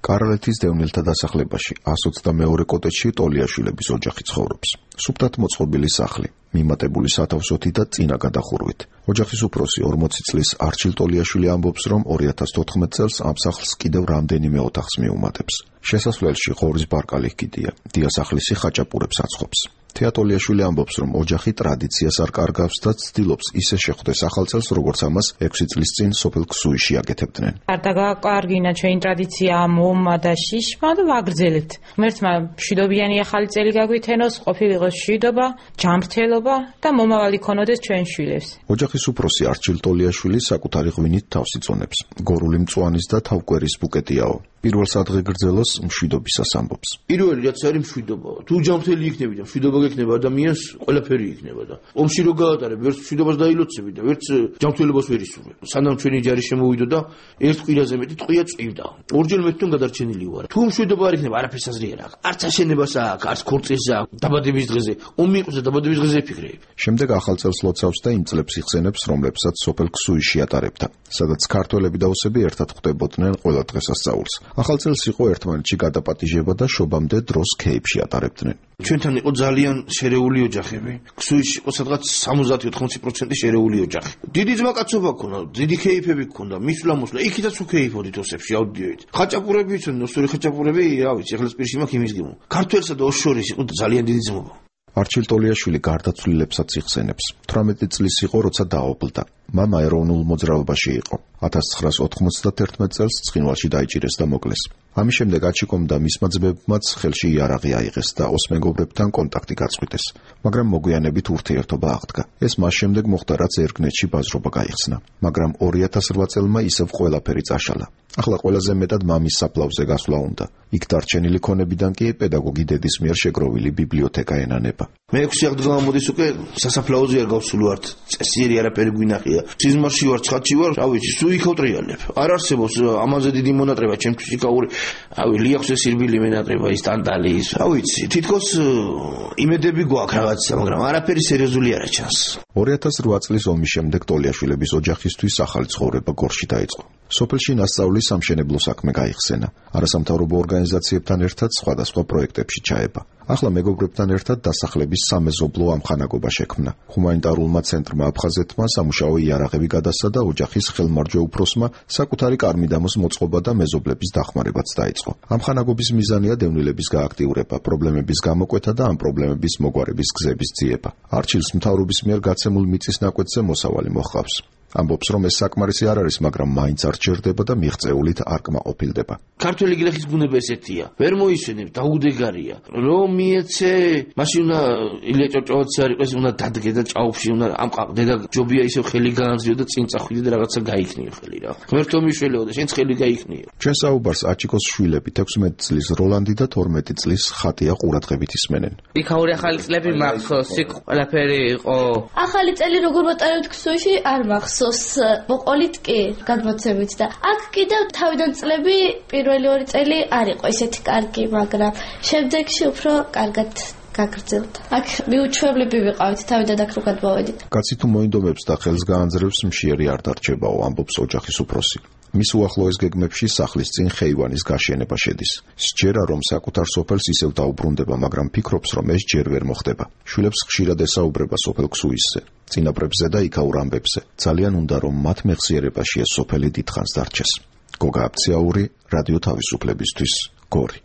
კარალეთის დევნილთა დასახლებაში 122 კოტეჯში ტოლიაშვილების ოჯახი ცხოვრობს. სუფთად მოწყობილი სახლი, მიმატებული სათავსოთი და წინა გადახურვით. ოჯახის უფროსი 40 წლის არჩილ ტოლიაშვილი ამბობს, რომ 2014 წელს ამ სახლს კიდევ რამდენიმე ოთახს მიუმატებს. შესასვლელში ღორის ბარკალი ჰკიდია, დიასახლისი ხაჭაპურებს აცხობს. თეატოლიაშვილი ამბობს, რომ ოჯახი ტრადიციას არ კარგავს და ცდილობს ისე შეხვდეს ახალ წელს, როგორც ამას 6 წლის წინ სოფელ ქსუიში აკეთებდნენ. არ დაგაკარგინა ჩვენი ტრადიცია მომა და შიშმა და ვაგრძელებთ. ღმერთმა მშვიდობიანი ახალი წელი გაგვითენოს, ყოფილიყოს მშვიდობა, ჯანმრთელობა და მომავალი ქონოდეს ჩვენ შვილებს. ოჯახის უფროსი არჩილ ტოლიაშვილი საკუთარი ღვინით თავს იწონებს. გორული მწვანის და თავკვერის ბუკეტიაო. პირველ სადღეგრძელოს მშვიდობისას ამბობს. პირველი რაც არის მშვიდობა. თუ ჯანმრთელი იქნები და მშვიდობა გექნება ადამიანს, ყველაფერი იქნება და ომში რო გაატარებ, ვერც მშვიდობას დაილოცები და ვერც ჯანმრთელობას ვერ ისურვებ. სანამ ჩვენი ჯარი შემოვიდო და ერთ კვირაზე მეტი ტყვია წვივდა. ორჯერ მეტთან გადარჩენილი ვარ. თუ მშვიდობა არ იქნება, არაფერს აზრი არ აქვს. არც აშენებას აქვს, არც ქორწილს აქვს. დაბადების დღეზე, ომი იყოს და დაბადების დღეზე იფიქრებ. შემდეგ ახალ წელს ლოცავს და იმ წლებს იხსენებს, რომლებსაც სოფელ ქსუიში ატარებდა, სადაც ქართველები და ოსები ერთად ხვდებოდნენ ყველა დღესასწაულს. ახალ წელს იყო ერთმანეთში გადაპატიჟება და შობამდე დროს ქეიფში ატარებდნენ. ჩვენთან იყო ძალიან შერეული ოჯახები. ქსუიში იყო სადღაც 70-80% შერეული ოჯახი. დიდი ძმაკაცობა ქონდა, დიდი ქეიფები ქონდა, მისვლა-მოსვლა, იქითაც უქეიფოდით ოსებში, ავდიოით. ხაჭაპურები იცოდნენ, ოსური ხაჭაპურები, რა ვიცი, ეხლა სპირში მაქვს იმის გემო. ქართველსა და ოს შორის იყო ძალიან დიდი ძმობა. არჩილ ტოლიაშვილი გარდაცვლილებსაც იხსენებს. 18 წლის იყო, როცა დაობლდა. მამა ეროვნულ მოძრაობაში იყო. 1991 წელს ცხინვალში დაიჭირეს და მოკლეს. ამის შემდეგ აჩიკომ და მისმა ძმებმაც ხელში იარაღი აიღეს და ოს მეგობრებთან კონტაქტი გაწყვიტეს, მაგრამ მოგვიანებით ურთიერთობა აღდგა. ეს მას შემდეგ მოხდა, რაც ერგნეთში ბაზრობა გაიხსნა, მაგრამ 2008 წელმა ისევ ყველაფერი წაშალა. ახლა ყველაზე მეტად მამის საფლავზე გასვლა უნდა. იქ დარჩენილი ქონებიდან კი პედაგოგი დედის მიერ შეგროვილი ბიბლიოთეკა ენანება. მე 6 აღდგა მოდის უკვე სასაფლაოზე არ გავსული ვარ, წესიერი არაფერი გვინახია. სიზმარში ვარ, ცხადში ვარ, რა ვიცი, სულ იქავტრიალებ. არ არსებობს ამაზე დიდი მონატრება, ჩემთვის იქაური, რავი, ლიახვზე სირბილი მენატრება, ის ტანტალი ის, რა ვიცი, თითქოს იმედები გვაქვს რაღაცა, მაგრამ არაფერი სერიოზული არა ჩანს. 2008 წლის ომის შემდეგ ტოლიაშვილების ოჯახისთვის ახალი ცხოვრება გორში დაიწყო. სოფელში ნასწავლის სამშენებლო საქმე გაიხსენა. არასამთავრობო ორგანიზაციებთან ერთად სხვადასხვა პროექტებში ჩაება. ახლა მეგობრებთან ერთად დასახლების სამეზობლო ამხანაგობა შექმნა. ჰუმანიტარულმა ცენტრმა აფხაზეთმა სამუშაო იარაღები გადასცა და ოჯახის ხელმარჯვე უფროსმა საკუთარი კარმიდამოს მოწყობა და მეზობლების დახმარებაც დაიწყო. ამხანაგობის მიზანია დევნილების გააქტიურება, პრობლემების გამოკვეთა და ამ პრობლემების მოგვარების გზების ძიება. არჩილს მთავრობის მიერ გაცემულ მიწის ნაკვეთზე მოსავალი მოჰყავს. ამბობს, რომ ეს საკმარისი არ არის, მაგრამ მაინც არ ჩერდება და მიღწეულით არ კმაყოფილდება. ქართველი გლეხის ბუნება ესეთია. ვერ მოისვენებ, დაუდეგარია. რომ მიეცე, მაშინ უნდა ილია ჭავჭავაძე არ იყოს, უნდა დადგე და ჭაობში უნდა ამყაყდე და ჯობია ისევ ხელი გაანძლიო და წინ წახვიდე და რაღაცა გაიქნიო ხელი რა. ღმერთო მიშველეო და შენც ხელი გაიქნიო. ჩვენ საუბარს აჩიკოს შვილები 16 წლის როლანდი და 12 წლის ხატია ყურადღებით ისმენენ. იქაური ახალი წლები მახსოვს, იქ ყველაფერი იყო. ახალი წელი როგორ ვატარებთ ქსუიში არ მახსოვს. მოყოლით კი გადმოცემით და აქ კიდევ თავიდან წლები პირველი 2 წელი არ იყო ისეთი კარგი, მაგრამ შემდეგში უფრო კარგად გაგრძელდა. აქ მიუჩვევლები ვიყავით თავიდან აქ რო გადმოვედით. კაცი თუ მოინდომებს და ხელს გაანძრევს, მშიერი არ დარჩებაო, ამბობს ოჯახის უფროსი. მის უახლოეს გეგმებში სახლის წინ ხეივანის გაშენება შედის. სჯერა რომ საკუთარ სოფელს ისევ დაუბრუნდება, მაგრამ ფიქრობს, რომ ეს ჯერ ვერ მოხდება. შვილებს ხშირად ესაუბრება სოფელ ქსუისზე, წინაპრებზე და იქაურ ამბებზე. ძალიან უნდა რომ მათ მეხსიერებაში ეს სოფელი დიდხანს დარჩეს. გოგა აბციაური, რადიო თავისუფლებისთვის, გორი.